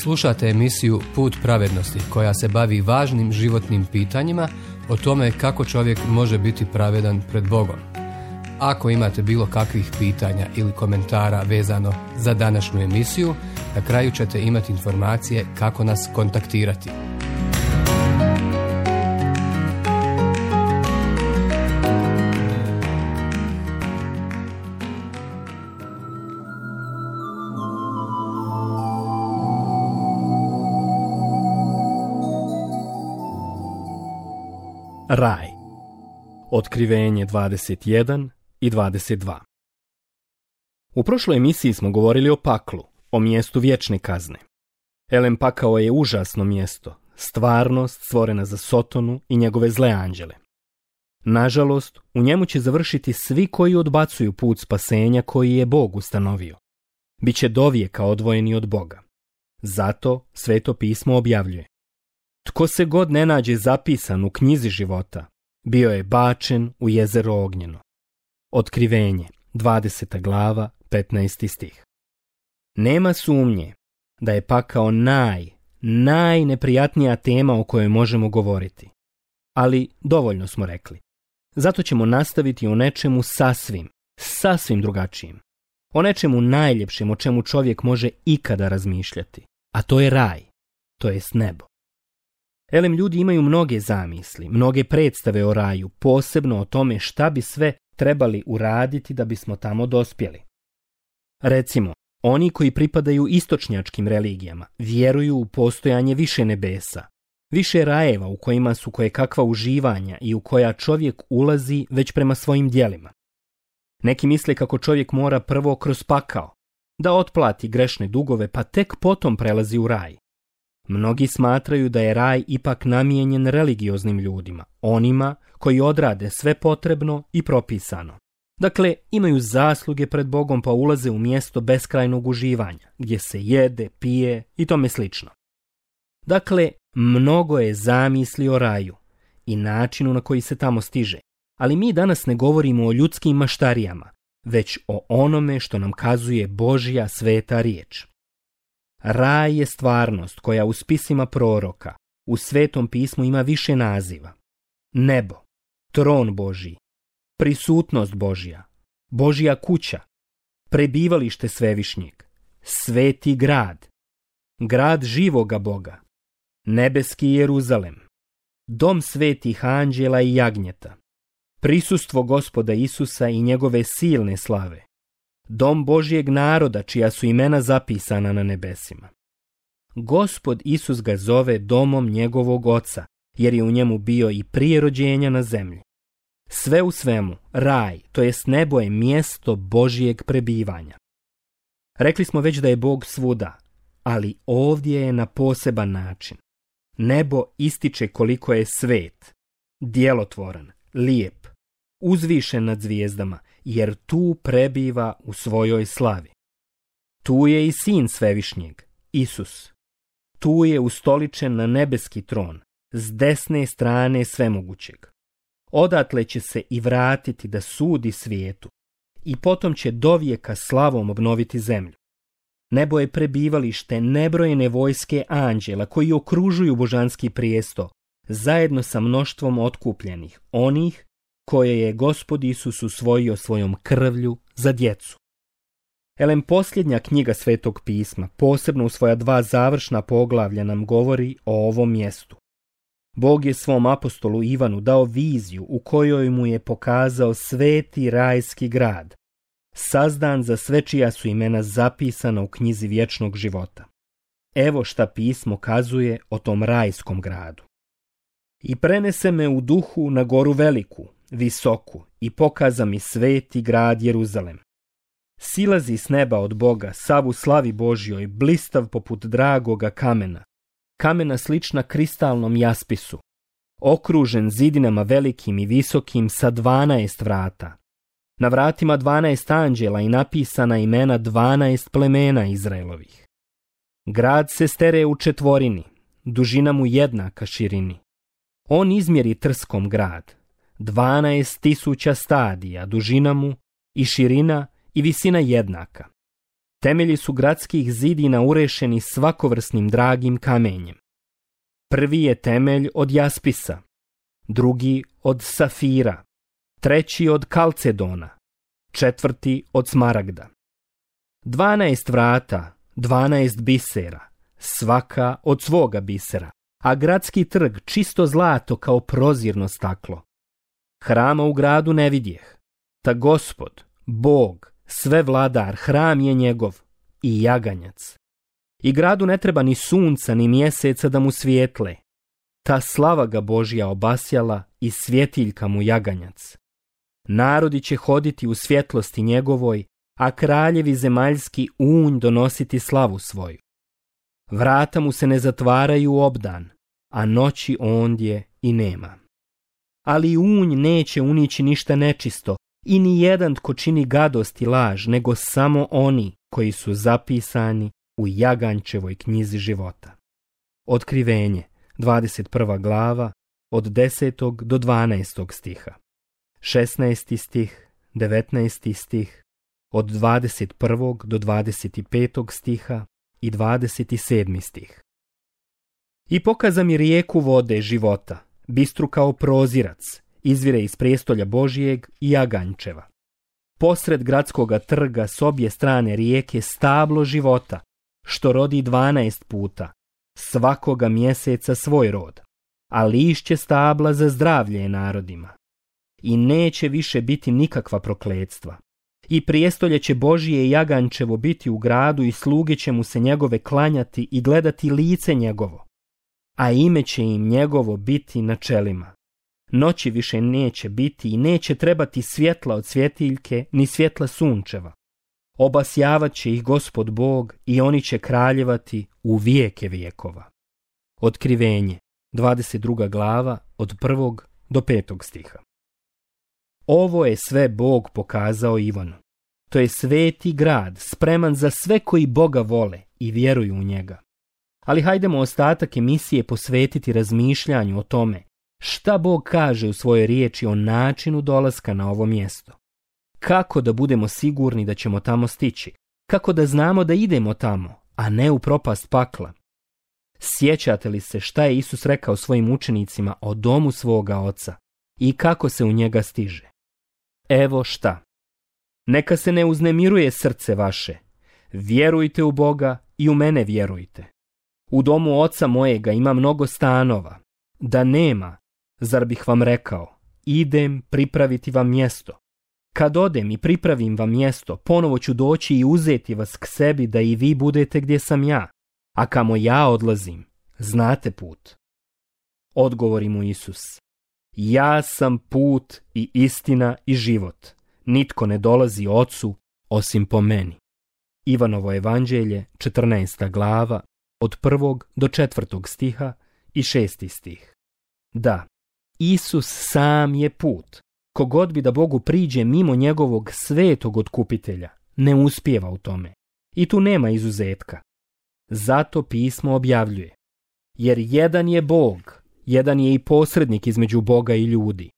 Slušate emisiju Put pravednosti koja se bavi važnim životnim pitanjima o tome kako čovjek može biti pravedan pred Bogom. Ako imate bilo kakvih pitanja ili komentara vezano za današnju emisiju, na kraju ćete imati informacije kako nas kontaktirati. Raj. Otkrivenje 21 i 22. U prošloj emisiji smo govorili o paklu, o mjestu vječne kazne. Elem, pakao je užasno mjesto, stvarnost stvorena za Sotonu i njegove zle anđele. Nažalost, u njemu će završiti svi koji odbacuju put spasenja koji je Bog ustanovio. Biće dovijeka odvojeni od Boga. Zato Sveto pismo objavljuje: tko se god ne nađe zapisan u knjizi života, bio je bačen u jezero ognjeno. Otkrivenje, 20. glava, 15. stih. Nema sumnje da je pakao najneprijatnija tema o kojoj možemo govoriti. Ali dovoljno smo rekli. Zato ćemo nastaviti o nečemu sasvim drugačijim. O nečemu najljepšem o čemu čovjek može ikada razmišljati. A to je raj, to jest nebo. Elem, ljudi imaju mnoge zamisli, mnoge predstave o raju, posebno o tome šta bi sve trebali uraditi da bismo tamo dospjeli. Recimo, oni koji pripadaju istočnjačkim religijama vjeruju u postojanje više nebesa, više rajeva u kojima su kojekakva uživanja i u koja čovjek ulazi već prema svojim djelima. Neki misle kako čovjek mora prvo kroz pakao, da otplati grešne dugove pa tek potom prelazi u raj. Mnogi smatraju da je raj ipak namijenjen religioznim ljudima, onima koji odrade sve potrebno i propisano. Dakle, imaju zasluge pred Bogom pa ulaze u mjesto beskrajnog uživanja, gdje se jede, pije i tome slično. Dakle, mnogo je zamisli o raju i načinu na koji se tamo stiže, ali mi danas ne govorimo o ljudskim maštarijama, već o onome što nam kazuje Božja sveta riječ. Raj je stvarnost koja u spisima proroka, u Svetom pismu ima više naziva. Nebo, tron Božji, prisutnost Božja, Božja kuća, prebivalište Svevišnjeg, sveti grad, grad živoga Boga, nebeski Jeruzalem, dom svetih anđela i jagnjeta, prisustvo Gospoda Isusa i njegove silne slave, dom Božjeg naroda čija su imena zapisana na nebesima. Gospod Isus ga zove domom njegovog Oca, jer je u njemu bio i prije rođenja na zemlji. Sve u svemu, raj, to jest nebo, je mjesto Božjeg prebivanja. Rekli smo već da je Bog svuda, ali ovdje je na poseban način. Nebo ističe koliko je svet, djelotvoran, lijep, uzvišen nad zvijezdama, jer tu prebiva u svojoj slavi. Tu je i Sin Svevišnjeg, Isus. Tu je ustoličen na nebeski tron, s desne strane svemogućeg. Odatle će se i vratiti da sudi svijetu i potom će dovijeka slavom obnoviti zemlju. Nebo je prebivalište nebrojene vojske anđela koji okružuju božanski prijesto, zajedno sa mnoštvom otkupljenih, onih koje je Gospod Isus usvojio svojom krvlju za djecu. Elem, posljednja knjiga Svetog pisma, posebno u svoja 2 završna poglavlja, nam govori o ovom mjestu. Bog je svom apostolu Ivanu dao viziju u kojoj mu je pokazao sveti rajski grad, sazdan za sve čija su imena zapisana u knjizi vječnog života. Evo šta pismo kazuje o tom rajskom gradu. I prenese me u duhu na goru veliku, visoku, i pokaza mi sveti grad Jeruzalem. Silazi s neba od Boga, sav u slavi Božjoj, blistav poput dragoga kamena, kamena slična kristalnom jaspisu, okružen zidinama velikim i visokim sa 12 vrata. Na vratima 12 anđela i napisana imena 12 plemena Izraelovih. Grad se stere u četvorini, dužina mu jednaka širini. On izmjeri trskom grad, 12.000 stadija, dužina mu i širina i visina jednaka. Temelji su gradskih zidina urešeni svakovrsnim dragim kamenjem. Prvi je temelj od jaspisa, drugi od safira, treći od kalcedona, četvrti od smaragda. 12 vrata, 12 bisera, svaka od svoga bisera, a gradski trg čisto zlato kao prozirno staklo. Hrama u gradu ne vidjeh, ta Gospod, Bog, sve vladar, hram je njegov i jaganjac. I gradu ne treba ni sunca ni mjeseca da mu svijetle. Ta slava ga Božja obasjala i svjetiljka mu jaganjac. Narodi će hoditi u svjetlosti njegovoj, a kraljevi zemaljski unj donositi slavu svoju. Vrata mu se ne zatvaraju u obdan, a noći ondje i nema. Ali unj neće unići ništa nečisto i ni jedan tko čini gadost i laž, nego samo oni koji su zapisani u Jaganjčevoj knjizi života. Otkrivenje, 21. glava, od 10. do 12. stiha. 16. stih, 19. stih, od 21. do 25. stiha i 27. stih. I pokaza mi rijeku vode života, bistru kao prozirac, izvire iz prijestolja Božijeg i Jaganjčeva. Posred gradskoga trga s obje strane rijeke stablo života, što rodi 12 puta, svakoga mjeseca svoj rod, a lišće stabla za zdravlje narodima. I neće više biti nikakva prokletstva. I prijestolje će Božije i Jaganjčevo biti u gradu i sluge će mu se njegove klanjati i gledati lice njegovo, a ime će im njegovo biti na čelima. Noći više neće biti i neće trebati svjetla od svjetiljke ni svjetla sunčeva. Obasjavat će ih Gospod Bog i oni će kraljevati u vijeke vijekova. Otkrivenje, 22. glava, od 1. do 5. stiha. Ovo je sve Bog pokazao Ivanu. To je sveti grad, spreman za sve koji Boga vole i vjeruju u njega. Ali hajdemo ostatak emisije posvetiti razmišljanju o tome šta Bog kaže u svojoj riječi o načinu dolaska na ovo mjesto. Kako da budemo sigurni da ćemo tamo stići? Kako da znamo da idemo tamo, a ne u propast pakla? Sjećate li se šta je Isus rekao svojim učenicima o domu svoga Oca i kako se u njega stiže? Evo šta. Neka se ne uznemiruje srce vaše. Vjerujte u Boga i u mene vjerujte. U domu Oca mojega ima mnogo stanova. Da nema, zar bih vam rekao, idem pripraviti vam mjesto. Kad odem i pripravim vam mjesto, ponovo ću doći i uzeti vas k sebi da i vi budete gdje sam ja. A kamo ja odlazim, znate put. Odgovori mu Isus. Ja sam put i istina i život. Nitko ne dolazi Ocu osim po meni. Ivanovo evanđelje, 14. glava, od 1. do 4. stiha i 6. stih. Da, Isus sam je put. Kogod bi da Bogu priđe mimo njegovog svetog otkupitelja, ne uspijeva u tome. I tu nema izuzetka. Zato pismo objavljuje. Jer jedan je Bog, jedan je i posrednik između Boga i ljudi.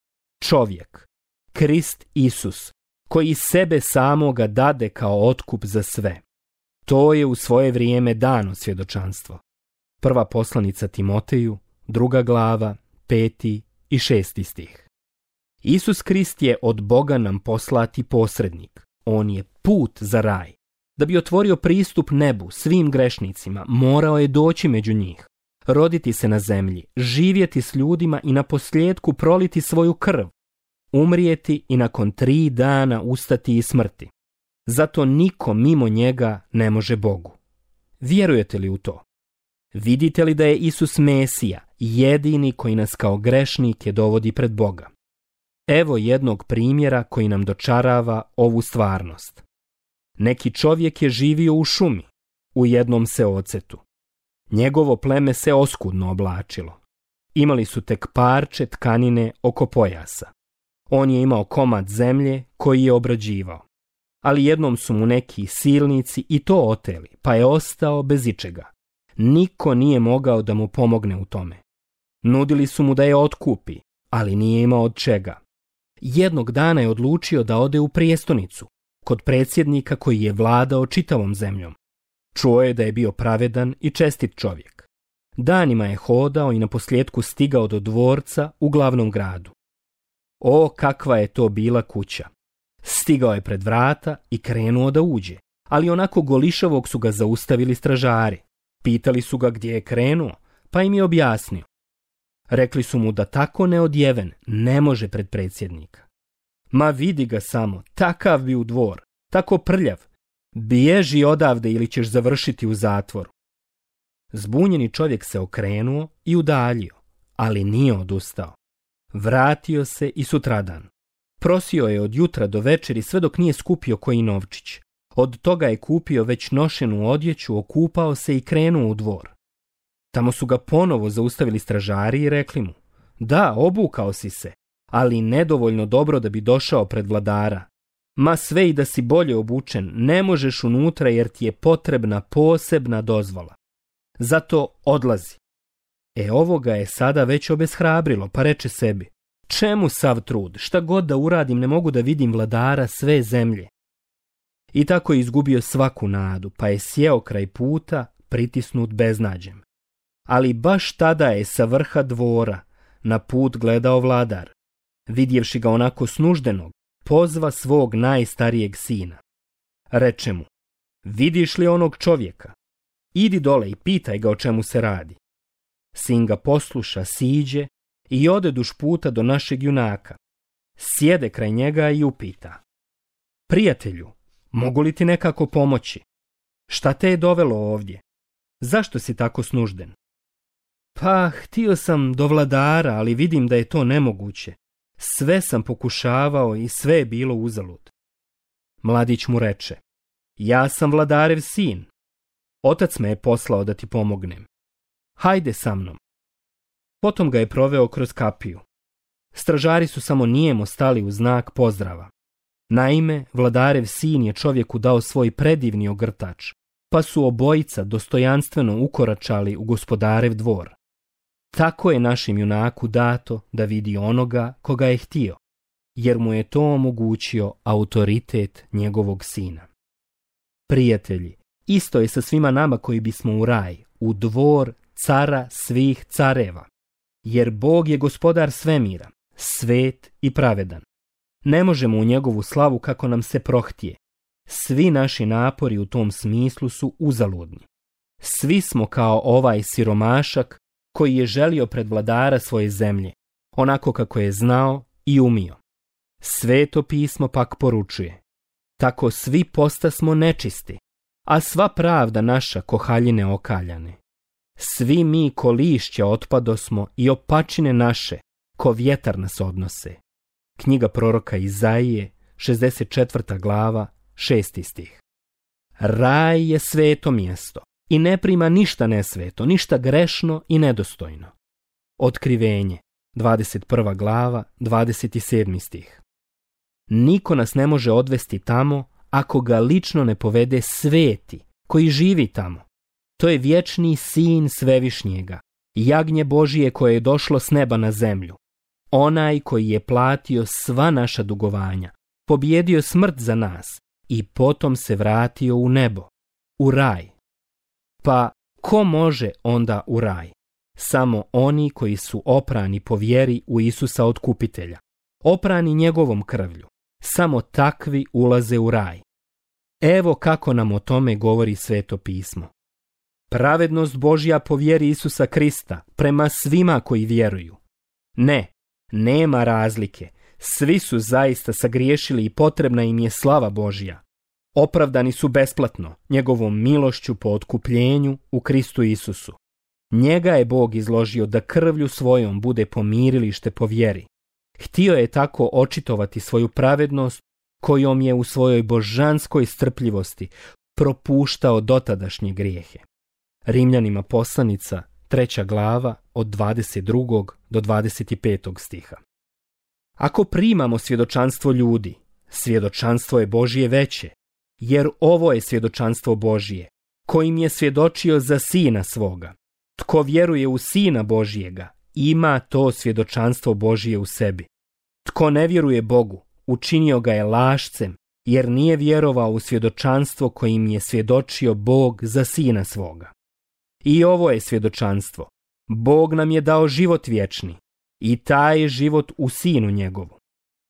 Čovjek, Krist Isus, koji sebe samoga dade kao otkup za sve. To je u svoje vrijeme dano svjedočanstvo. Prva poslanica Timoteju, 2. glava, 5. i 6. stih. Isus Krist je od Boga nam poslati posrednik. On je put za raj. Da bi otvorio pristup nebu svim grešnicima, morao je doći među njih, roditi se na zemlji, živjeti s ljudima i naposljetku proliti svoju krv, umrijeti i nakon 3 dana ustati iz smrti. Zato niko mimo njega ne može Bogu. Vjerujete li u to? Vidite li da je Isus Mesija, jedini koji nas kao grešnike dovodi pred Boga? Evo jednog primjera koji nam dočarava ovu stvarnost. Neki čovjek je živio u šumi, u jednom seocetu. Njegovo pleme se oskudno oblačilo. Imali su tek parče tkanine oko pojasa. On je imao komad zemlje koji je obrađivao. Ali jednom su mu neki silnici i to oteli, pa je ostao bez ičega. Niko nije mogao da mu pomogne u tome. Nudili su mu da je otkupi, ali nije imao od čega. Jednog dana je odlučio da ode u prijestolnicu, kod predsjednika koji je vladao čitavom zemljom. Čuo je da je bio pravedan i čestit čovjek. Danima je hodao i naposljetku stigao do dvorca u glavnom gradu. O, kakva je to bila kuća! Stigao je pred vrata i krenuo da uđe, ali onako golišavog su ga zaustavili stražari. Pitali su ga gdje je krenuo, pa im je objasnio. Rekli su mu da tako neodjeven ne može pred predsjednika. Ma vidi ga samo, takav bi u dvor, tako prljav. Bježi odavde ili ćeš završiti u zatvoru. Zbunjeni čovjek se okrenuo i udaljio, ali nije odustao. Vratio se i sutradan. Prosio je od jutra do večeri sve dok nije skupio koji novčić. Od toga je kupio već nošenu odjeću, okupao se i krenuo u dvor. Tamo su ga ponovo zaustavili stražari i rekli mu: da, obukao si se, ali nedovoljno dobro da bi došao pred vladara. Ma sve i da si bolje obučen, ne možeš unutra jer ti je potrebna posebna dozvola. Zato odlazi. Ovo ga je sada već obeshrabrilo, pa reče sebi: čemu sav trud, šta god da uradim ne mogu da vidim vladara sve zemlje. I tako je izgubio svaku nadu, pa je sjeo kraj puta, pritisnut beznađem. Ali baš tada je sa vrha dvora na put gledao vladar. Vidjevši ga onako snuždenog, pozva svog najstarijeg sina. Reče mu: vidiš li onog čovjeka? Idi dole i pitaj ga o čemu se radi. Sin ga posluša, siđe i ode duž puta do našeg junaka. Sjede kraj njega i upita: prijatelju, mogu li ti nekako pomoći? Šta te je dovelo ovdje? Zašto si tako snužden? Pa, htio sam do vladara, ali vidim da je to nemoguće. Sve sam pokušavao i sve je bilo uzalud. Mladić mu reče: ja sam vladarev sin. Otac me je poslao da ti pomognem. Hajde sa mnom. Potom ga je proveo kroz kapiju. Stražari su samo nijemo stali u znak pozdrava. Naime, vladarev sin je čovjeku dao svoj predivni ogrtač, pa su obojica dostojanstveno ukoračali u gospodarev dvor. Tako je našem junaku dato da vidi onoga koga je htio, jer mu je to omogućio autoritet njegovog sina. Prijatelji, isto je sa svima nama koji bismo u raj, u dvor cara svih careva, jer Bog je gospodar svemira, svet i pravedan. Ne možemo u njegovu slavu kako nam se prohtije. Svi naši napori u tom smislu su uzaludni. Svi smo kao ovaj siromašak koji je želio pred vladara svoje zemlje, onako kako je znao i umio. Sveto pismo pak poručuje: tako svi postasmo nečisti, a sva pravda naša ko haljine okaljane. Svi mi ko lišća otpadosmo i opačine naše ko vjetar nas odnose. Knjiga proroka Izaije, 64. glava, 6. stih. Raj je sveto mjesto i ne prima ništa nesveto, ništa grešno i nedostojno. Otkrivenje, 21. glava, 27. stih. Niko nas ne može odvesti tamo ako ga lično ne povede sveti koji živi tamo. To je vječni sin svevišnjega, jagnje Božije koje je došlo s neba na zemlju. Onaj koji je platio sva naša dugovanja, pobjedio smrt za nas i potom se vratio u nebo, u raj. Pa ko može onda u raj? Samo oni koji su oprani po vjeri u Isusa Otkupitelja, oprani njegovom krvlju. Samo takvi ulaze u raj. Evo kako nam o tome govori Sveto pismo. Pravednost Božja po vjeri Isusa Krista prema svima koji vjeruju. Ne, nema razlike. Svi su zaista sagriješili i potrebna im je slava Božja. Opravdani su besplatno, njegovom milošću po otkupljenju u Kristu Isusu. Njega je Bog izložio da krvlju svojom bude pomirilište po vjeri. Htio je tako očitovati svoju pravednost kojom je u svojoj božanskoj strpljivosti propuštao dotadašnje grijehe. Rimljanima poslanica, 3. glava, od 22. do 25. stiha. Ako primamo svjedočanstvo ljudi, svjedočanstvo je Božje veće, jer ovo je svjedočanstvo Božje, kojim je svjedočio za Sina svoga. Tko vjeruje u Sina Božjega, ima to svjedočanstvo Božje u sebi. Tko ne vjeruje Bogu, učinio ga je lašcem, jer nije vjerovao u svjedočanstvo kojim je svjedočio Bog za sina svoga. I ovo je svjedočanstvo. Bog nam je dao život vječni i taj je život u sinu njegovu.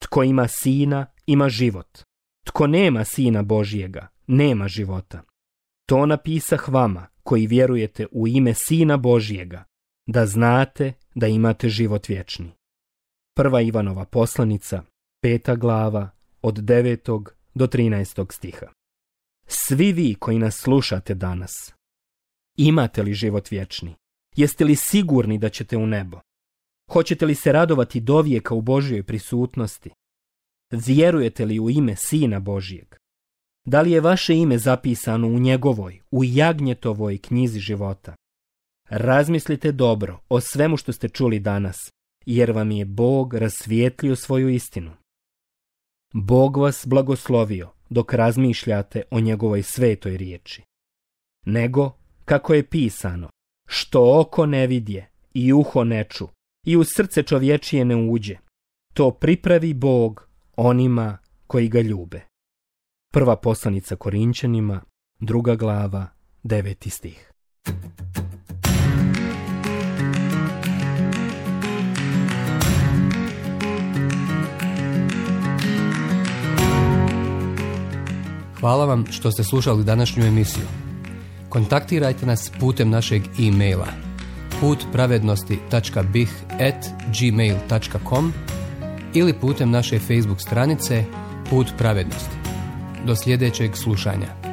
Tko ima sina, ima život. Tko nema sina Božjega, nema života. To napisah vama koji vjerujete u ime sina Božjega, da znate da imate život vječni. 1. Ivanova poslanica, 5. glava, od 9. do 13. stiha. Svi vi koji nas slušate danas, imate li život vječni? Jeste li sigurni da ćete u nebo? Hoćete li se radovati dovijeka u Božjoj prisutnosti? Vjerujete li u ime Sina Božjeg? Da li je vaše ime zapisano u njegovoj, u Jagnjetovoj knjizi života? Razmislite dobro o svemu što ste čuli danas, jer vam je Bog rasvijetlio svoju istinu. Bog vas blagoslovio dok razmišljate o njegovoj svetoj riječi. Nego, kako je pisano, što oko ne vidje i uho ne ču i u srce čovječije ne uđe, to pripravi Bog onima koji ga ljube. 1. poslanica Korinćanima, 2. glava, 9. stih. Hvala vam što ste slušali današnju emisiju. Kontaktirajte nas putem našeg e-maila putpravednosti.bih@gmail.com ili putem naše Facebook stranice Put pravednosti. Do sljedećeg slušanja.